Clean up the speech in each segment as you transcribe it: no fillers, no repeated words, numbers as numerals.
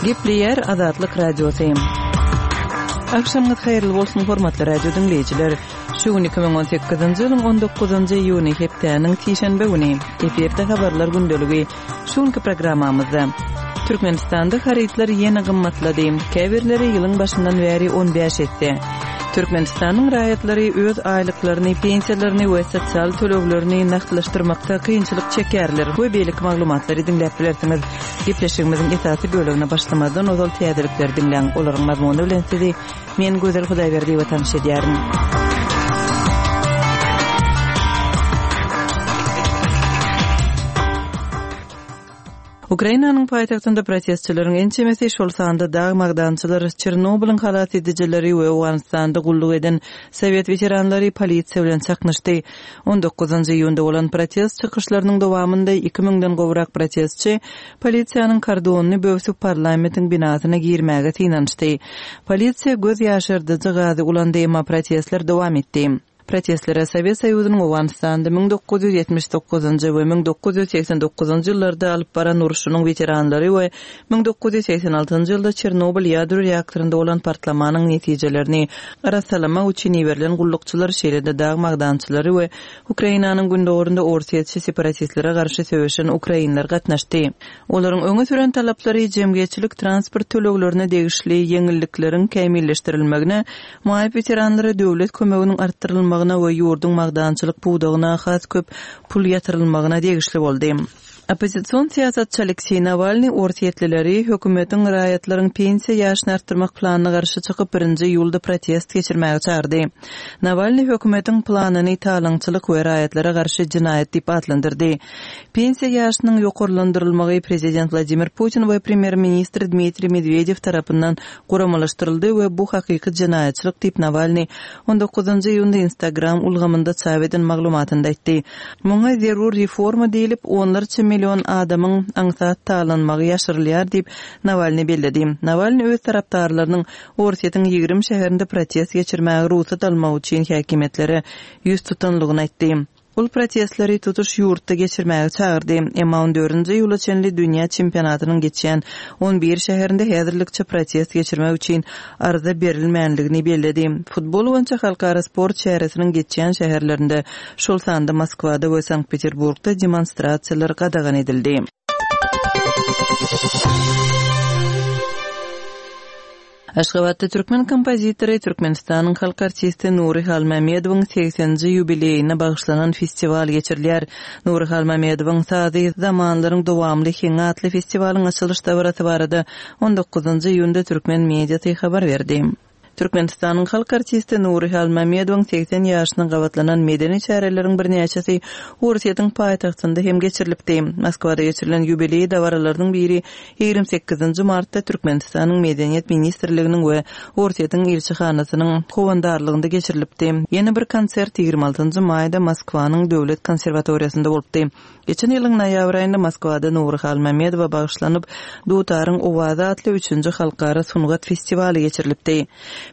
Gepleýär Azatlyk Radiosy. Agşamyňyz haýyrly bolsun, hormatly radio diňleýjiler. Şu gün 2018-nji ýylyň 19-njy iýuny hepdäniň sişenbe güni. Efirde habarlar gündeligi. Şu günki programmamyzda Türkmenistanda harytlar ýene gymmatlady, käbirleri ýylyň başyndan bäri 15 esse. Türkmenistanyň raýatlary öz aýlyklaryny, pensiýalaryny we sosial töleglerini nagtlaşdyrmakda kynçylyk çekýärler we beýleki maglumatlary diňläp bilersiňiz. Gepleşigimiziň esasy bölegine başlamazdan ozal täzelikleri diňläň, olaryň mazmuny bilen sizi Men Gözel Hudaýberdiýewa tanyş edýärin. Ukrainanyň paýtagtynda protestçileriň ençemesi, şol sanda dag magdançylar, Çernobylyň halas edijileri we Owganystanda gulluk eden sowet weteranlary polisiýa bilen çaknyşdy. On dokuzynjy iýunda bolan protest çykyşlarynyň dowamynda iki müňden gowrak protestçi Polisiýanyň kordonyny böwsüp parlamentiň binasyna girmäge synanyşdy. Polisiýa göz ýaşardyjy gazy ulandy, emma protestler dowam etdi. Protestlere Sowet Soýuzynyň Owganystanda 1979-njy we 1989-njy ýyllarda alyp baran urşunyň weteranlary we 1986-njy ýylda Çernobyl ýadro reaktorynda bolan partlamanyň netijelerini arassalamak üçin iberilen gullukçylar, şeýle-de dag magdançylary we Ukrainanyň gündogarynda orsýetçi separatistlere garşy söweşen ukrainler gatnaşdy. Olaryň öňe süren talaplary jemgyýetçilik transport töleglerine degişli ýeňillikleriň kämilleşdirilmegine, maýyp weteranlara döwlet kömeginiň artdyrylmagyna we ýurduň magdançylyk pudagyna has köp pul ýatyrylmagyna degişli boldy. Oppozision syýasatçy Alekseý Nawalnyý orsýetlileri hökümetiň raýatlaryň pensiýa ýaşyny artdyrmak planyna garşy çykyp, birinji iýulda protest geçirmäge çagyrdy. Nawalnyý hökümetiň planyny talaňçylyk we raýatlara garşy jenaýat diýip atlandyrdy. Pensiýa ýaşynyň ýokarlandyrylmagy prezident Wladimir Putin we premýer-ministr Dmitriý Medwedew tarapyndan guramalaşdyryldy we bu hakyky jenaýatçylyk diýip Nawalnyý on dokuzynjy iýunda Instagram ulgamynda çap eden maglumatynda aýtdy. Muňa zerur reforma diýlip, onlarça million adamyň aňsat talanmagy ýaşyrylýar diýip, Nawalnyý belledi. Nawalnyý öz tarapdarlarynyň Orsýetiň 20 şäherinde protest geçirmäge rugsat almak üçin häkimiýetlere ýüz tutanlygyny aýtdy. Ol protestleri tutuş ýurtda geçirmäge çagyrdy. Emma on dördünji iýula çenli dünýä çempionatynyň geçýän on bir şäherinde häzirlikçe protest geçirmek üçin arza berilmänligini belledi. Futbol boýunça halkara sport çäresiniň geçýän şäherlerinde, şol sanda Moskwada we Sankt-Peterburgda demonstrasiýalar gadagan edildi. Aşgabatda türkmen kompozitory, Türkmenistanyň halk artisti Nury Halmämmedowyň segseninji ýubileýine bagyşlanan festiwal geçirilýär. Nury Halmämmedowyň sazy, zamanlaryň dowamly heňi atly festiwalyň açylyş dabarasy barada on dokuzynjy iýunda türkmen mediasy habar berdi. Türkmenistanyň halk artisti Nury Halmämmedowyň 80 ýaşyna gabatlanan medeni çäreleriň birnäçesi Orsýetiň paýtagtynda hem geçirilipdi. Moskwada geçirilen ýubileý dabaralarynyň biri 28 martda Türkmenistanyň Medeniýet ministrliginiň we Orsýetiň ilçihanasynyň howandarlygynda geçirilipdi. Ýene bir konsert 26 maýda Moskwanyň döwlet konserwatoriýasynda bolupdy. Geçen ýylyň noýabr aýynda Moskwada Nury Halmämmedowa bagyşlanyp, Dutaryň owazy atly üçünji halkara sungat festiwaly geçirilipdi.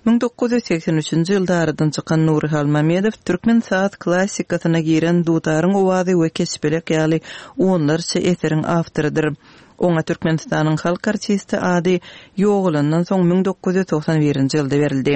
1983-nji ýylda aradan çykan Nury Halmämmedow türkmen saz klassykasyna giren Dutaryň owazy we Keçpelek ýaly onlarça eseriň awtorydyr. Oňa Türkmenistanyň halk artisti ady ýogalandan soň 1991-nji ýylda berildi.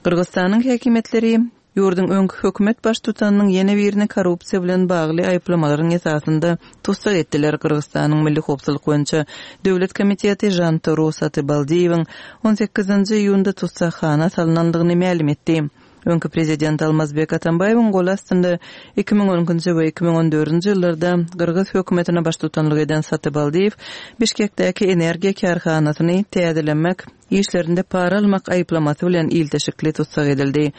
Gyrgyzystanyň häkimiýetleri ýurduň öňki hökümet baştutanynyň ýene birini korrupsiýa bilen bagly aýyplamalaryň esasynda tussag etdiler. Gyrgyzystanyň Milli howpsuzlyk boýunça döwlet komiteti Žantoro Satybaldiýewiň on sekizinji iýunda tussaghana salnandygyny mälim etdi. Öňki prezident Almazbek Atambaýewiň goly astynda 2012-nji we 2014-nji ýyllarda gyrgyz hökümetine baştutanlyk eden Satybaldiýew Bişkekdäki energiýa kärhanasyny täzelemek işlerinde para almak aýyplamasy bilen ilteşikli tussag edildi.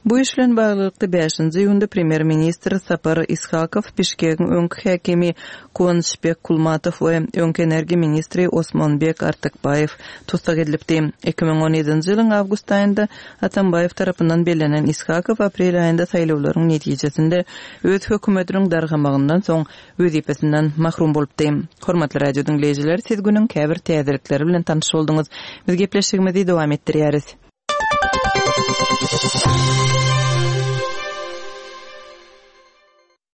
Bu iş bilen baglylykda bäşinji iýunda premýer-ministr Sapar Ishakow, Bişkegiň öňki häkimi Kuanyşbek Kulmatow we öňki energiýa ministri Osmonbek Artykbaýew tussag edilipdi. 2017-nji ýylyň awgust aýynda Atambaýew tarapyndan bellenen Ishakow aprel aýynda saýlawlaryň netijesinde öz hökümetiniň dargamagyndan soň wezipesinden mahrum bolupdy. Hormatly radio diňleýjiler, siz günüň käbir täzelikleri bilen tanyş bolduňyz. Biz gepleşigimizi dowam etdirýäris.